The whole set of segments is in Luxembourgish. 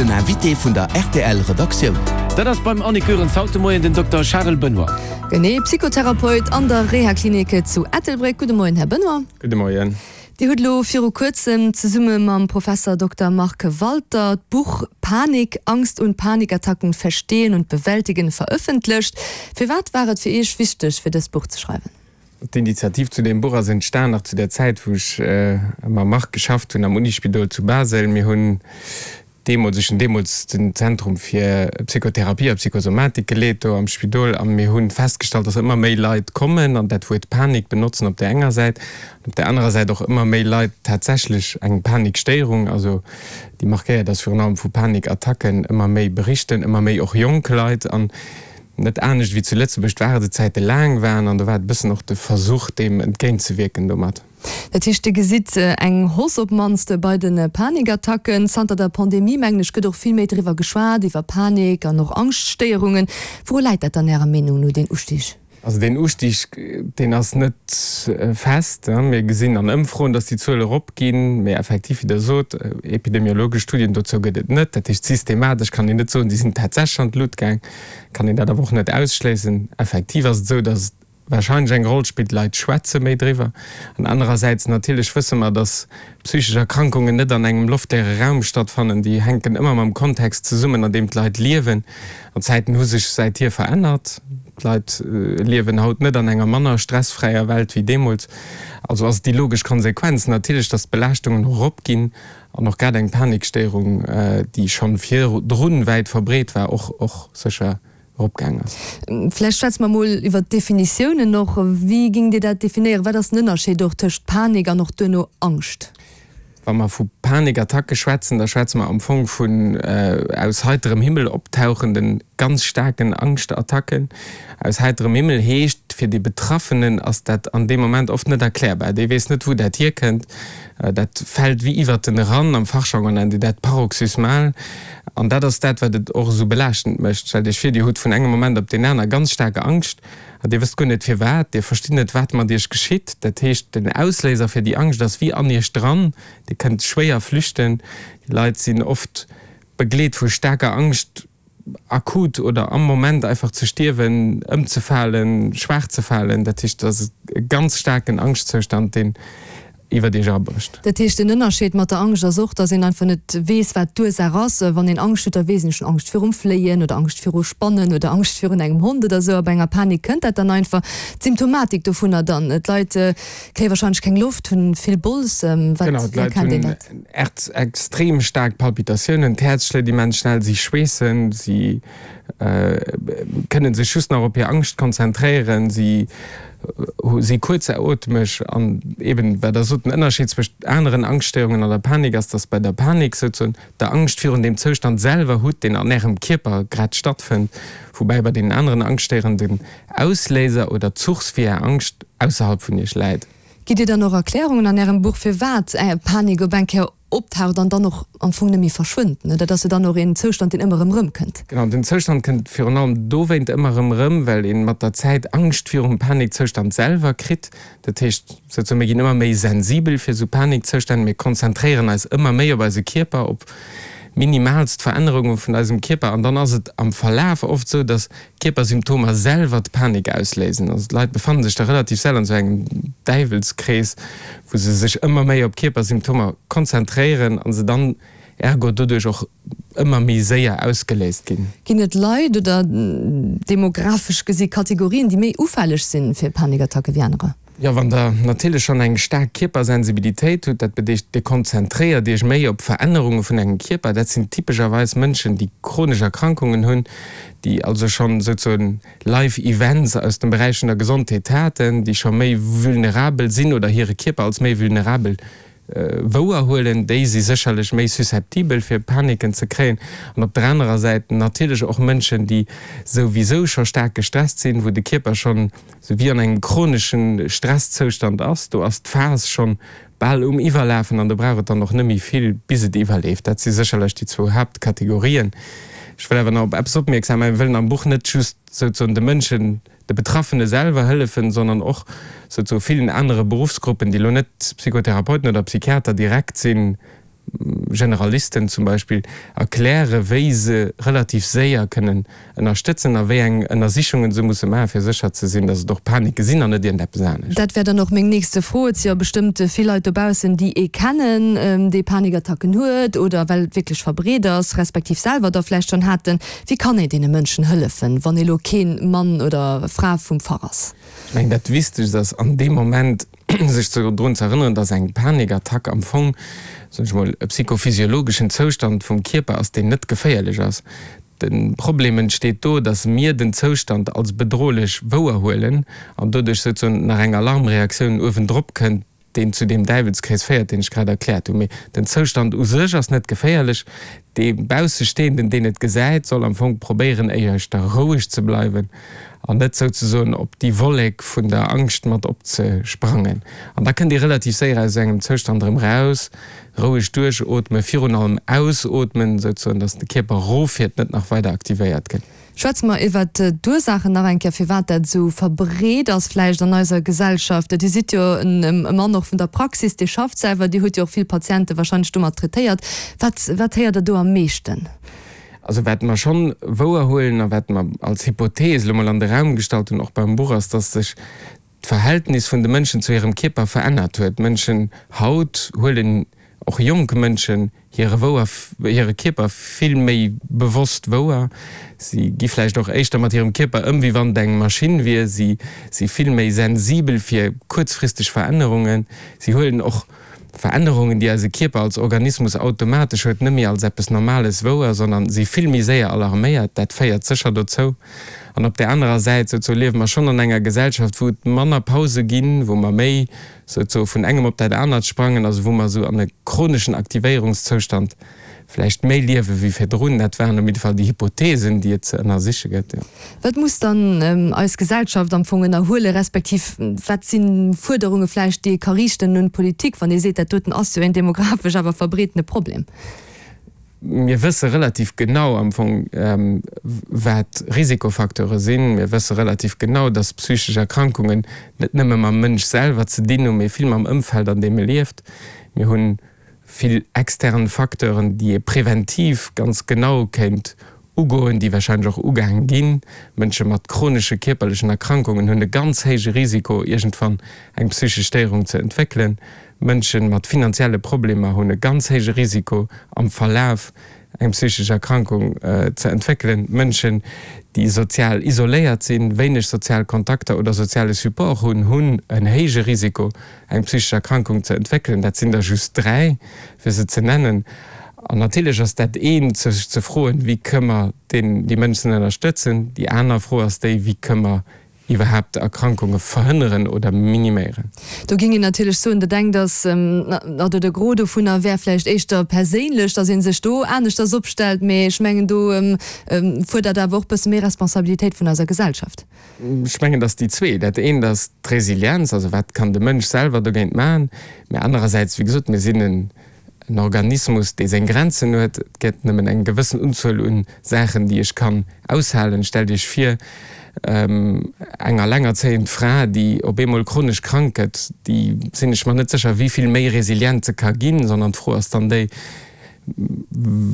Den Invité vun der rtl Redaktioun. Dat ass beim Annick Goerens haut de Moien den Dokter Charel Benoy. Genee, Psychotherapeut an der Rehaklinik zu Ettelbréck. Gudde Moien, Här Benoy. Gudde Moien. Dir hutt elo viru kuerzem zesumme mam Professer Dokter Marc Walter d'Buch Panik, Angst und Panikattacken verstehen und bewältigen verëffentlecht. Firwat war et fir Iech wichteg, fir dëst Buch ze schreiwen? D'Initiativ zu deem Buch ass entstan nach zu der Zäit, wou ech mam Marc geschafft hunn am Unispidol zu Basel. Mir hunn deemools, ech hunn deemools den Zentrum fir Psychotherapie a Psychosomatik geleet do am Spidol a mir hu festgestallt, dass ëmmer méi Leit kommen an dat Wuert Panik benotzen op där enger Säit an op där anerer Säit och ëmmer méi Leit tatsächlech eng Panikstéierung, also déi markéiert ass virun allem vu Panikattacken, ëmmer méi berichten, ëmmer méi och jonk Leit an net anescht wéi zu Lëtzebuerg d'Waardezäite laang waren an do war et e bëssen och de Versuch deem entgéintzewierken domat. Dat heescht, Dir gesitt eng Hausse op d'mannst bei de Panikattacken. Zanter der Pandemie, mengen ech, gëtt och vill méi driwwer geschwat, iwwer Panik an och Angschtstéierungen. Wouru läit dat dann Ärer Meenung no, deen Ustig? Also deen Ustig, deen ass net fest. Mir gesinn an Ëmfroen, datt déi Zuele eropginn, mee effektiv, wéi Der sot, epidemiologesch Studien dozou gëtt et net. Dat heescht, systematesch kann een net soen, déi sinn tatsächlech an d'Lut gaang. Kann een dat awer och net ausschléissen. Effektiv ass et esou, datt et wahrscheinlech eng Roll spillt, d'Leit schwätze méi driwwer. An anerersäits natierlech wësse mer, datt psychesch Erkrankungen net an engem loftleere Raum stattfannen, déi hänken ëmmer mam Kontext zesummen, an deem d'Leit liewen. An d'Zäiten hu sech säithier verännert. D'Leit liewen haut net an enger manner stressfräier Welt wéi deemools. Also ass et déi logesch Konsequenz natierlech, datt d'Belaaschtungen och eropginn an och grad eng Panikstéierung, déi schonn virdrun wäit verbreet war, och och sécher eropgaang ass. Vläicht schwätze mer mol iwwert d'Definitiounen och. Wéi géingt Dir dat definéieren? Wat ass den Ënnerscheed och tëscht Panik an och duerno Angscht? Wa mer vu Panikattacke schwätzen, da schwätze mer am Fong vun aus heiterem Himmel optauchenden, ganz staarken Angschtattacken. Aus heiterem Himmel heescht, fir dee Betraffenen ass dat an deem Moment oft net erklärbar. Dee weess net, wou dat hierkënnt. Dat fält wéi iwwert en eran. Am Fachjargon nennt een dat paroxysmal. An dat ass dat, wat et och esou belaaschtend mécht. Stellt Iech vir, Dir hutt vun engem Moment op deen aner ganz staark Angscht an Dir wësst guer net firwat. Dir verstitt net, wat mat Iech geschitt. Dat heescht, den Ausléiser fir déi Angscht ass wéi an Iech dran. Dir kënnt schwéier flüchten. Déi Leit sinn oft begleet vu staarker Angscht, akut oder am Moment einfach ze stierwen, ëmzefalen, schwaach ze falen. Dat heescht, et ass e ganz staarken Angschtzustand, deen iwwert Iech erabrécht. Dat heescht, den Ënnerscheed mat der Angscht ass och, dass een einfach net weess, wat d'Ursaach ass. Wann een Angscht huet, da weess een, ech hunn Angscht virum Fléien oder Angscht viru Spannen oder Angscht virun engem Hond oder esou. A bei enger Panik kënnt dat dann einfach. D'Symptomatik dovunner dann, d'Leit kréie wahrscheinlech keng Loft, hunn vill Bols. Wat, Genau, wéi d'Leit erkennt een hunn dat? extrem staark Palpitatiounen, d'Häerz schléit immens schnell, si schweessen, si kënne sech just nach op hir Angscht konzentréieren, si si kuerzaotmeg. An eben, wat Der sot, den Ënnerscheed zwëscht aneren Angschtstéierungen an der Panik ass, dass bei der Panik souzesoen Der Angscht virun deem Zoustand selwer hutt, deen an Ärem Kierper grad stattfënnt, woubäi bei deenen aneren Angschtstéierungen den Ausléiser oder d'Source fir Är Angscht ausserhalb vun Iech läit. Gitt Dir dann och Erklärungen an Ärem Buch, firwat Panik op eng Kéier optaucht an dann och am Fong net méi verschwënnt? Dat ass jo dann och een Zoustand, deen ëmmer erëm erëmkënnt. Genau, den Zoustand kënnt virun allem dowéint ëmmer erëm erëm, well ee mat der Zäit Angscht virum Panikzoustand selwer kritt. Dat heescht souzesoen, mir ginn ëmmer méi sensibel fir esou Panikzoustänn, mir konzentréieren eis ëmmer méi op eise Kierper, op minimaalst Verännerunge vun eisem Kierper an dann ass et am Verlaf oft esou, datt d'Kierpersymptomer selwer d'Panik ausléisen. Also d'Leit befannen sech da relativ séier an esou engem Däiwelskrees, wou se sech ëmmer méi op Kierpersymptomer konzentréieren a se dann ergo doduerch och ëmmer méi séier ausgeléist ginn. Ginn et Leit oder demografesch gesi Kategorien, déi méi ufälleg sinn fir Panikattacke wéi anerer? Jo, wann der natierlech schonn eng staark Kierpersensibilitéit hutt, dat bedeescht, Dir konzentréiert Iech méi op Verännerunge vun engem Kierper, dat sinn typescherweis Mënschen, déi chronesch Erkrankungen hunn, déi also schonn souzesoen Life Events aus dem Beräich vun der Gesondheet haten, déi scho méi vulnerabel sinn oder hire Kierper als méi vulnerabel wouerhuelen, déi si sécherlech méi susceptibel fir Paniken ze kréien. An op der anerer Säit natierlech och Mënschen, déi souwisou scho staark gestresst sinn, wou de Kierper schonn sou wéi an engem chronesche Stresszoustand ass. Do ass d'Phas schonn bal um Iwwerlafen an do brauch et dann och net méi vill, bis et iwwerleeft. Dat si sécherlech déi zwou Haaptkategorien. Ech wëll awer nach op eppes opmierksam maachen, Mir wëllen am Buch net just souzesoen de Mënschen, de Betraffene selwer hëllefen, sondern och souzesoe villen anere Beruffsgruppen, déi elo net Psychotherapeuten oder Psychiater direkt sinn. Generalisten zum Beispill erkläre wéi se relativ séier kënnen ënnerstëtzen a wéi eng Ënnersichungen se musse maachen, fir sécher ze sinn, datt et och Panike sinn an net iergendeppes anescht. Dat wär dann och meng nächste Fro. Et si jo bestëmmt vill Leit dobaussen, déi ee kennen, dee Panikattacken huet oder well et wierklech verbreet ass, respektiv selwer der vläicht schonn haten. Wéi kann ee deene Mënschen hëllefen, wann ee lo kee Mann oder Fra vum Fach ass? Ech mengen, dat Wichtegst ass an deem Moment, sech drun ze erënneren, dass eng Panikattack am Fong, soen ech mol, e psychophysiologeschen Zoustand vum Kierper ass, deen net geféierlech ass. De Problem entsteet do, dass mir den Zoustand als bedrohlech wouerhuelen an doduerch souzesoen nach eng Alarmreaktioun uewendrop kënnt, deen zu deem Däiwelskrees féiert, deen ech grad erkläert hunn. Mee den Zoustand u sech ass net geféierlech. Dee Baussestehenden, deen et gesäit, soll am Fong probéieren, éischter roueg ze bleiwen an net souzesoen op déi Wollek vun der Angscht mat opzesprangen. An da kënnt ee relativ séier aus esou engem Zoustand erëm raus. Roueg duerchootmen, virun allem ausootmen, souzesoen, dass de Kierper eroffiert, net nach weider aktivéiert gëtt. Schwätze mer iwwert d'Ursaachen nach eng Kéier, firwat dat esou verbreet ass vläicht an eiser Gesellschaft. Dir sidd jo e Mann och vun der Praxis, Dir schafft selwer, Dir hutt jo och vill Patiente wahrscheinlech domat traitéiert. Wat, wat héiert Der do am meeschten? Also wat mer schonn wouerhuelen a wat mer als Hypothees elo mol an de Raum gestallt hunn, och beim Buch, ass, dass sech d'Verhältnis vun de Mënschen zu hirem Kierper verännert huet. D'Mënschen haut huelen, och jonk Mënschen, hire wouer, hire Kierper vill méi bewosst wouer. Si gi vläicht och éischter mat hirem Kierper ëm, wéi wann et eng Maschinn wier. Si si vill méi sensibel fir kuerzfristeg Verännerungen. Si huelen och Verännerungen, déi eise Kierper als Organismus automatesch huet, net méi als eppes Normales wouer, sondern si vill méi séier alarméiert. Dat féiert sécher dozou. An op där anerer Säit souzesoe liewe mer schonn an enger Gesellschaft, wou et manner Pause ginn, wou mer méi souzesoe vun engem op dat anert sprangen, also wou mer esou an e chroneschen Aktivéierungszoustand vläicht méi liewe wéi virdrun. Dat waren op jidde Fall déi Hypothesen, déi et ze ënnersiche gëtt, jo. Wat muss dann eis Gesellschaft am Fong ënnerhuelen, respektiv wat si Fuerderunge vläicht, déi ee ka riichten un d'Politik, wann ee seet, dat doten ass jo een demografesch awer verbreetene Problem? Mir wësse relativ genau am Fong, wat Risikofacteure sinn. Mir wësse relativ genau, dass psychesch Erkrankungen net nëmme mam Mënsch selwer ze dinn hunn, mee vill mam Ëmfeld, an deem e lieft. Mir hu vill extern Facteuren, déi ee preventiv ganz genau kéint ugoen, déi warscheinlech och ugaang ginn. Mënsche mat chronesche kierperlechen Erkrankungen hunn e ganz héije Risiko, iergendwann eng psychesch Stéierung ze entwéckelen. Mënsche mat finanzielle Problemer hunn e ganz héije Risiko am Verlaf eng psychesch Erkrankung ze entwéckelen. Mënschen, déi sozial isoléiert sinn, wéineg sozial Kontakter oder soziale Support hunn, hunn en héije Risiko eng psychesch Erkrankung ze entwéckelen. Dat sinn der just 3, fir se ze nennen. An natierlech ass dat eent, sech ze froen, wéi kënne mer déi Mënschen ënnerstëtzen. Déi aner Fro ass déi, wéi kënne mer iwwerhaapt Erkrankunge verhënneren oder miniméieren. Do géing een natierlech soen, dat engt ass, oder de Gros dovunner wär vläicht éischter perséinlech, datt ee sech do aneschters opstellt, mee ech mengen, do fuerdert awer och e bësse méi Responsabilitéit vun eiser Gesellschaft. Ech mengen, datt déi zwee, dat eent ass d'Resilienz, also wat kann de Mënsch selwer dogéint maachen, mä anerersäits, wéi gesot, mir sinn en En Organismus, dee seng Grenzen huet. Et gëtt nëmmen eng gewëssen Unzuel un Saachen, déi ech kann aushalen. Stellt Iech vir, eng allengerzéiend Fra, déi op eemol chronesch krank gëtt, déi, sinn ech mer net sécher, wéi vill méi resilient se ka ginn, sondern d'Fro ass dann déi,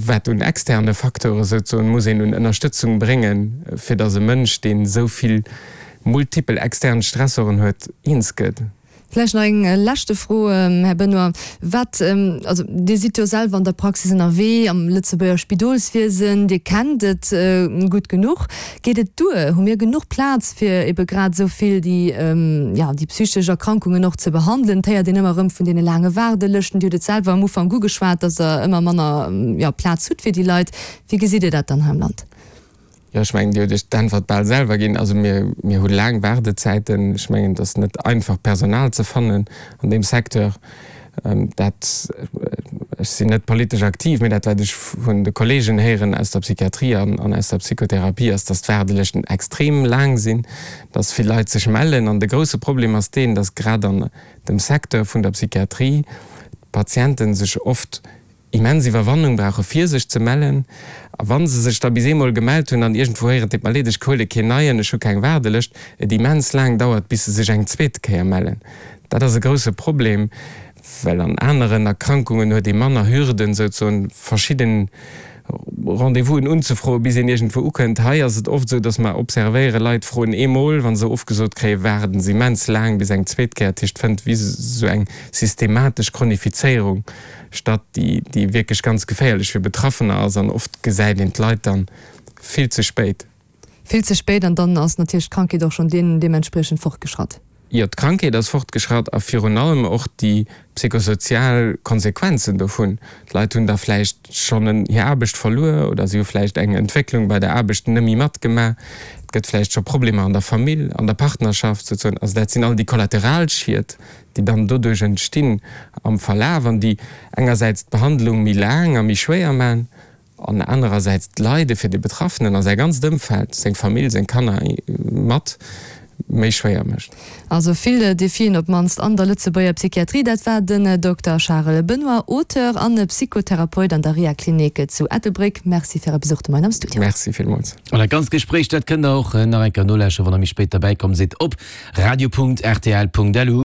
wat un externe Facteure souzesoen muss een un Ënnerstëtzung bréngen, fir datt e Mënsch, deen esou vill multipel extern Stressoren huet, eens gëtt. Vläicht nach eng leschte Fro, Här Benoy. Wat, also Dir sidd jo selwer an der Praxis ënnerwee, am Lëtzebuerger Spidolswiesen, Dir kennt et gutt genuch. Geet et duer? Hu mir genuch Plaz, fir ebe grad esou vill déi, jo, déi psychesch Erkrankungen och ze behandelen? Et héiert een ëmmer erëm vun deene laange Waardelëschten. Dir hutt et selwer am Ufank ugeschwat, datt Der ëmmer manner, jo, Plaz hutt fir déi Leit. Wéi gesitt Dir dat dann hei am Land? Jo, ech mengen, Dir hutt Iech d'Äntwert bal selwer ginn. Also mir, mir hu laang Waardezäiten. Ech mengen, et ass net einfach, Personal ze fannen an deem Secteur. Dat, ech sinn net politesch aktiv, mee dat, wat ech vun de Kolleegen héieren aus der Psychiatrie an an aus der Psychotherapie, ass, dass d'Waardelëschten extrem laang sinn, dass vill Leit sech mellen. An de grouse Problem ass deen, dass grad an dem Secteur vun der Psychiatrie d'Patiente sech oft immens Iwwerwannung brauche fir sech ze mellen, a wa se sech da bis eemol gemellt hunn an iergendwou héieren, 't deet mer leed, ech huele keen neien, ech hu keng Waardelëscht, et immens laang dauert bis se sech eng zweet Kéier mellen. Dat ass e grousse Problem. Well an aneren Erkrankungen huet ee manner Hürden, souzesoen verschidden Rendez-vousen unzefroen, bis een iergendwou ukënnt. Hei ass et oft esou, dass mer observéieren, Leit froen eemol, wa se ofgesot kréien, waarden se immens laang bis eng zweet Kéier. Dat heescht, et fënnt wéi esou eng systematesch Chronifizéierung statt, déi, déi wierklech ganz geféierlech fir Betraffener ass. An oft gesäit een d'Leit dann vill ze spéit. Vill ze spéit an dann ass natierlech d'Krankheet och schonn deementspriechend fortgeschratt. Jo, d'Krankheet ass fortgeschratt a virun allem och déi psychosozial Konsequenzen dovun. D'Leit hunn da vläicht schonn hir Aarbecht verluer oder si hu vläicht eng Entwécklung bei der Aarbecht net méi matgemaach. Et gëtt vläicht scho Problemer an der Famill, an der Partnerschaft souzesoen. Also dat sinn all déi Kollateralschied, déi dann doduerch entstinn am Verlaf an déi engersäits d'Behandlung méi laang a méi schwéier maachen an anerersäits d'Leide fir de Betraffenen a säi ganzt Ëmfeld, seng Famill, seng Kanner mat, méi schwéier mécht. Also vill Defien op d'mannst an der Lëtzebuerger Psychiatrie. Dat war den Dokter Charel Benoy, Auteur an Psychotherapeut an der Rehaklinik zu Ettelbréck. Merci fir Äre Besuch de Moien am Studio. Merci villmools. An dat ganzt Gespréich, dat kënnt der och nach eng Kéier nolauschteren, wann der méi spéit derbäi komm sidd, op radio.rtl.lu.